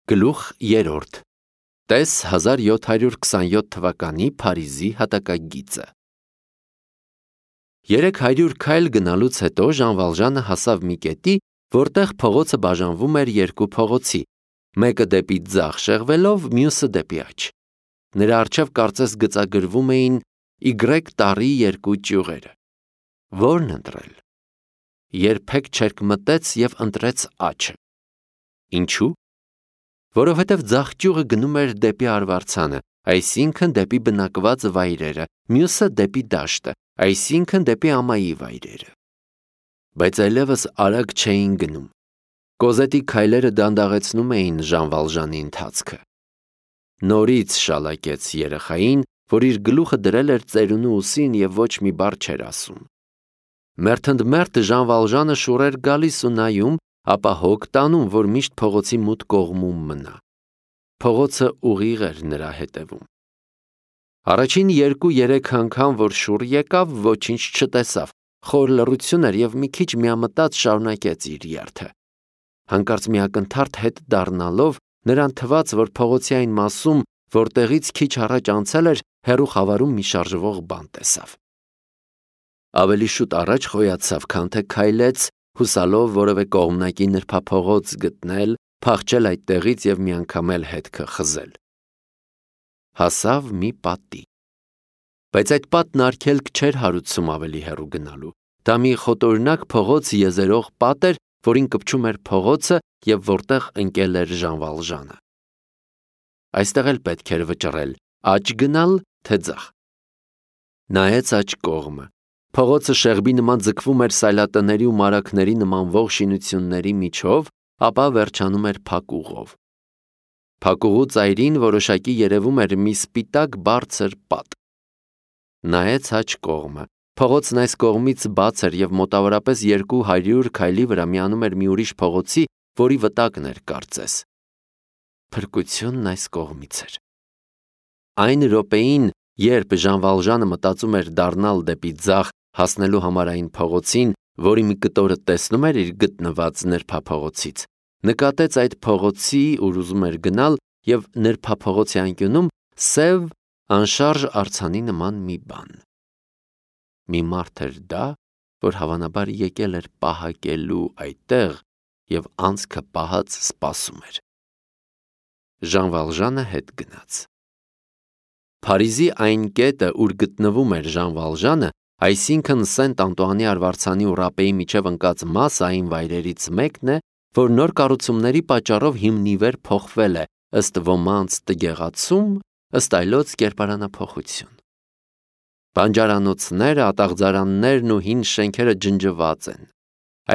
Գլուխ 3 Տես 1727 թվականի Փարիզի հատակագիծը 300 քայլ գնալուց հետո Ժան Վալժանը հասավ մի կետի, որտեղ փողոցը բաժանվում էր երկու փողոցի, մեկը դեպի ձախ շեղվելով, մյուսը դեպի աջ։ Նրա առջև կարծես գծագրվում էին Y տարի երկու ճյուղերը։ Որն ընտրել։ Երբեք չերկմտեց և ընտրեց աջը։ Ինչու՞։ Որովհետև ձախ ճյուղը գնում էր դեպի արվարձանը, այսինքն դեպի բնակված վայրերը, մյուսը դեպի դաշտը, այսինքն դեպի ամայի վայրերը։ Բայց այլևս արագ չէին գնում։ Կոզետի քայլերը դանդաղեցնում էին Ժան Վալժանի ընթացքը։ Նորից շալակեց երեխային, որ իր գլուխը դրել էր ծերունու ուսին և ոչ մի բառ չէր ասում։ Մերթընդմերթ Ժան Վալժանը շուռ էր գալիս ու նայում, ապա հոգ տանում, որ միշտ փողոցի մութ կողմում մնա։ Փողոցը ուղիղ էր նրա հետևում։ Առաջին 2-3 անգամ, որ շուռ եկավ, ոչինչ չտեսավ, խոր լռություն էր և մի քիչ միամտած շարունակեց իր երթը։ Հանկարծ մի ակնթարթ հետ դառնալով, նրան թվաց, որ փողոցի այն մասում, որտեղից քիչ առաջ անցել էր, հեռու խավարում մի շարժվող բան տեսավ։ Ավելի շուտ առաջ խոյացավ, քան թե քայլեց, հուսալով որևէ կողմնակի նրբափողոց գտնել, փախչել այդտեղից և միանգամ էլ հետքը խզել։ Հասավ մի պատի։ Բայց այդ պատն արգելք չէր հարուցում ավելի հեռու գնալու։ Դա մի խոտօրինակ փողոց եզերող պատ էր, որին կպչում էր փողոցը և որտեղ ընկել էր Ժան Վալժանը։ Այստեղ էլ պետք էր վճռել, աջ գնալ, թե ձախ։ Նայեց աջ կողմը։ Փողոցը շեղբի նման ձգվում էր սայլատների ու մարագների նմանվող շինությունների միջով, ապա վերջանում էր փակուղով։ Փակուղու ծայրին որոշակի երևում էր մի սպիտակ բարձր պատ։ Նայեց աջ կողմը։ Փողոցն այս կողմից բաց էր և մոտավորապես 200 քայլի վրա միանում էր մի ուրիշ փողոցի, որի վտակն էր կարծես։ Փրկությունն այս կողմից էր։ Այն րոպեին, երբ Ժան Վալժանը մտածում էր դառնալ դեպի ձախ, հասնելու համար այն փողոցին, որի մի կտորը տեսնում էր իր գտնված նրբափողոցից, նկատեց այդ փողոցի, ուր ուզում էր գնալ, և նրբափողոցի անկյունում սև, անշարժ արձանի նման մի բան։ Մի մարդ էր դա, որ հավանաբար եկել էր պահակելու այդտեղ և անցքը պահած սպասում էր։ Ժան Վալժանը հետ գնաց։ Փարիզի այն կետը, ուր գտնվում էր Ժան Վալժանը, այսինքն Սենտ Անտուանի արվարձանի ու Ռապեի միջև ընկած մասը այն վայրերից մեկն է, որ նոր կառուցումների պատճառով հիմնիվեր փոխվել է, ըստ ոմանց տգեղացում, ըստ այլոց կերպարանափոխություն։ Բանջարանոցները, ատաղձարաններն ու հին շենքերը ջնջված են։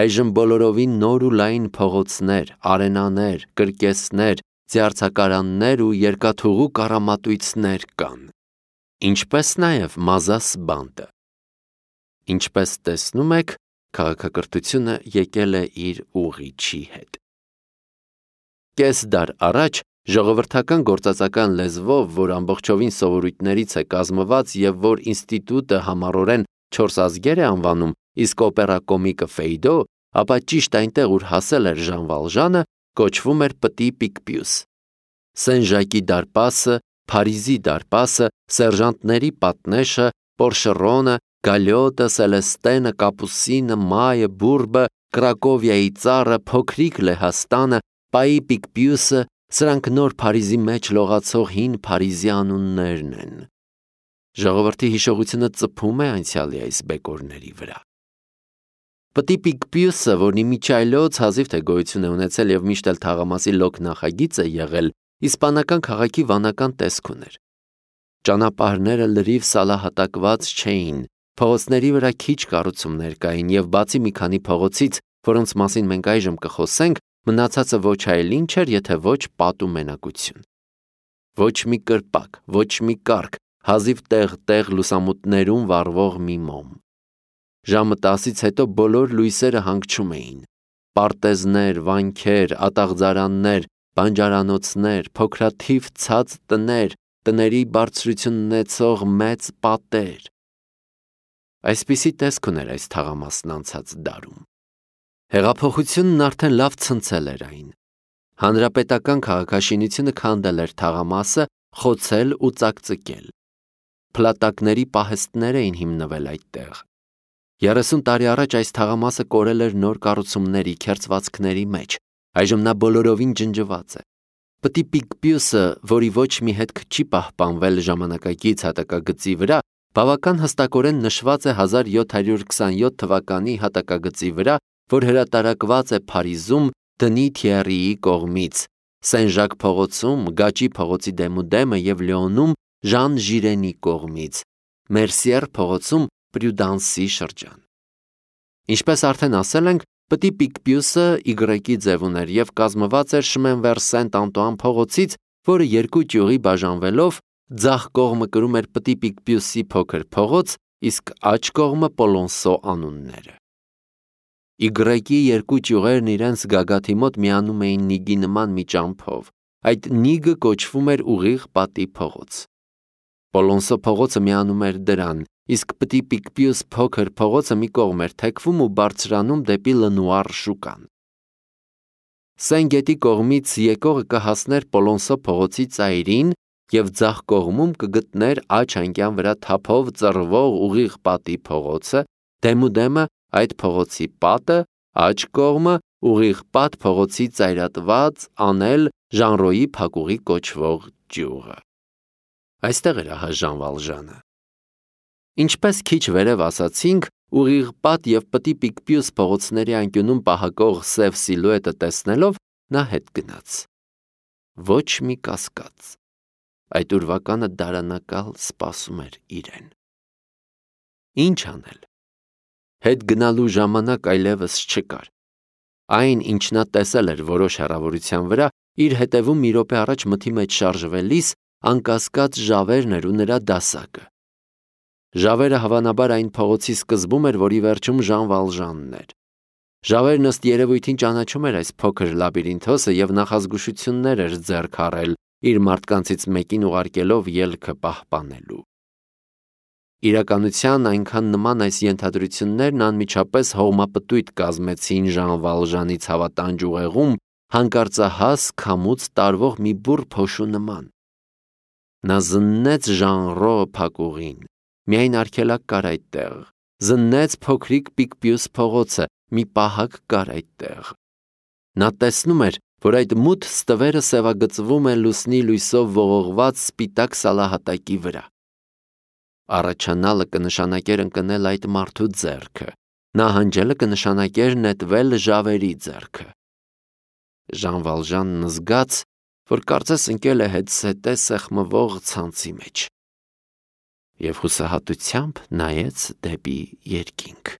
Այժմ բոլորովին նոր ու լայն փողոցներ, արենաներ, կրկեսներ, ձիարձակարաններ ու երկաթուղու կառամատույցներ կան, ինչպես նաև Մազաս բանտը։ Ինչպես տեսնում եք, քաղաքակրթությունը եկել է իր ուղիչի հետ։ Կես դար առաջ ժողովրդական գործածական լեզվով, որ ամբողջովին սովորույթներից է կազմված և որ ինստիտուտը համառորեն 4 ազգեր է անվանում, իսկ օպերա կոմիկը Ֆեյդո, ապա ճիշտ այնտեղ, ուր հասել էր Ժան Վալժանը, կոչվում էր Պտի Պիկպյուս։ Սեն Ժակի դարպասը, Փարիզի դարպասը, սերժանտների պատնեշը, Պորշերոնը, Գալյոտը, Սելեստենը, Կապուսինը, Մայը, Բուրբը, Կրակովիայի ծառը, փոքրիկ Լեհաստանը, Պայի Պիկպյուսը, սրանք նոր Փարիզի մեջ լողացող հին Փարիզի անուններն են։ Ժողովրդի հիշողությունը ծփում է անցյալի այս բեկորների վրա։ Պտի Պիկպյուսը, որն իմիջիայլոց հազիվ թե գոյություն է ունեցել և միշտ էլ թաղամասի լոկ նախագիծ է եղել, իսպանական քաղաքի վանական տեսք ուներ։ Ճանապարհները լրիվ սալահատակված չէին, փողոցների վրա քիչ կառուցումներ կային և բացի մի քանի փողոցից, որոնց մասին մենք այժմ կխոսենք, մնացածը ոչ այլ ինչ էր, եթե ոչ պատ ու մենակություն։ Ոչ մի կրպակ, ոչ մի կառք, հազիվ տեղ-տեղ լուսամուտներում վառվող մի մոմ։ Ժամը 10-ից հետո բոլոր լույսերը հանգչում էին։ Պարտեզներ, վանքեր, ատաղձարաններ, բանջարանոցներ, փոքրաթիվ ցած տներ, տների բարձրություն ունեցող մեծ պատեր։ Այսպիսի տեսք ուներ այս թաղամասն անցած դարում։ Հեղափոխությունն արդեն լավ ցնցել էր այն։ Հանրապետական քաղաքաշինությունը քանդել էր թաղամասը, խոցել ու ծակծկել։ Փլատակների պահեստներ էին հիմնվել այդտեղ։ 30 տարի առաջ այս թաղամասը կորել էր նոր կառուցումների, քերծվածքների մեջ, այժմ նա բոլորովին ջնջված է։ Պտի Պիկպյուսը, որի ոչ մի հետք չի պահպանվել ժամանակակից հատակագծի վրա, բավական հստակորեն նշված է 1727 թվականի հատակագծի վրա, որ հրատարակված է Փարիզում Դնի Թիերիի կողմից, Սեն-Ժակ փողոցում, Գաճի փողոցի դեմուդեմը և Լիոնում Ժան Ժիրենի կողմից, Մերսիեր փողոցում Պրյուդանսի շրջան։ Ինչպես արդեն ասել ենք, Պտի Պիկպյուսը Y-ի ձև ուներ և կազմված էր Շմենվեր Սենտ-Անտուան փողոցից, որը երկու ճյուղի բաժանվելով ձախ կողմը կրում էր Պտի Պիկպյուսի փոքր փողոց, իսկ աջ կողմը Պոլոնսո անունները։ Y-ի երկու ճյուղերն իրենց գագաթի մոտ միանում էին նիգի նման մի ճամփով։ Այդ նիգը կոչվում էր ուղիղ պատի փողոց։ Պոլոնսո փողոցը միանում էր դրան, իսկ Պտի Պիկպյուս փոքր փողոցը մի կողմ էր թեքվում ու բարձրանում դեպի Լնուար շուկան։ Սեն գետի կողմից եկողը կհասներ Պոլոնսո փողոցի ծայրին և ձախ կողմում կգտներ աջ անկյան վրա թափով ծռվող ուղիղ պատի փողոցը, դեմուդեմը այդ փողոցի պատը, աջ կողմը ուղիղ պատ փողոցի ծայրատված անել Ժանրոյի փակուղի կոչվող ճյուղը։ Այստեղ էր ահա Ժան Վալժանը։ Ինչպես քիչ վերև ասացինք, ուղիղ պատ և Պտի Պիկպյուս փողոցների անկյունում պահակող սև սիլուետը տեսնելով նա հետ գնաց։ Ոչ մի կասկած։ Այդ ուրվականը դարանակալ սպասում էր իրեն։ Ինչ անել։ Հետ գնալու ժամանակ այլևս չկար։ Այն, ինչ նա տեսել էր որոշ հեռավորության վրա, իր հետևում մի րոպե առաջ մթի մեջ շարժվելիս անկասկած Ժավերն էր ու նրա դասակը։ Ժավերը հավանաբար այն փողոցի սկզբում էր, որի վերջում Ժան Վալժանն էր։ Ժավերն ըստ երևույթին ճանաչում էր այս փոքր լաբիրինթոսը և նախազգուշություններ էր ձեռք առել, իր մարդկանցից մեկին ուղարկելով ելքը պահպանելու։ Իրականության այնքան նման այս ենթադրություններն անմիջապես հողմապտույտ կազմեցին Ժան Վալժանի ցավատանջ ուղեղում հանկարծահաս քամուց տարվող մի բուռ փոշու նման։ Նա զննեց Ժանրո փակուղին, միայն արգելակ կար այդտեղ, զննեց փոքրիկ Պիկպյուս փողոցը, մի պահակ կար այդտեղ։ Նա տեսնում էր, որ այդ մութ ստվերը սևագծվում է լուսնի լույսով ողողված սպիտակ սալահատակի վրա։ Առաջանալը կնշանակեր ընկնել այդ մարդու ձեռքը, նահանջելը կնշանակեր նետվել Ժավերի ձեռքը։ Ժան Վալժանն զգաց, որ կարծես ընկել է հետզհետե սեղմվող ցանցի մեջ և հուսահատությամբ նայեց դեպի երկինք։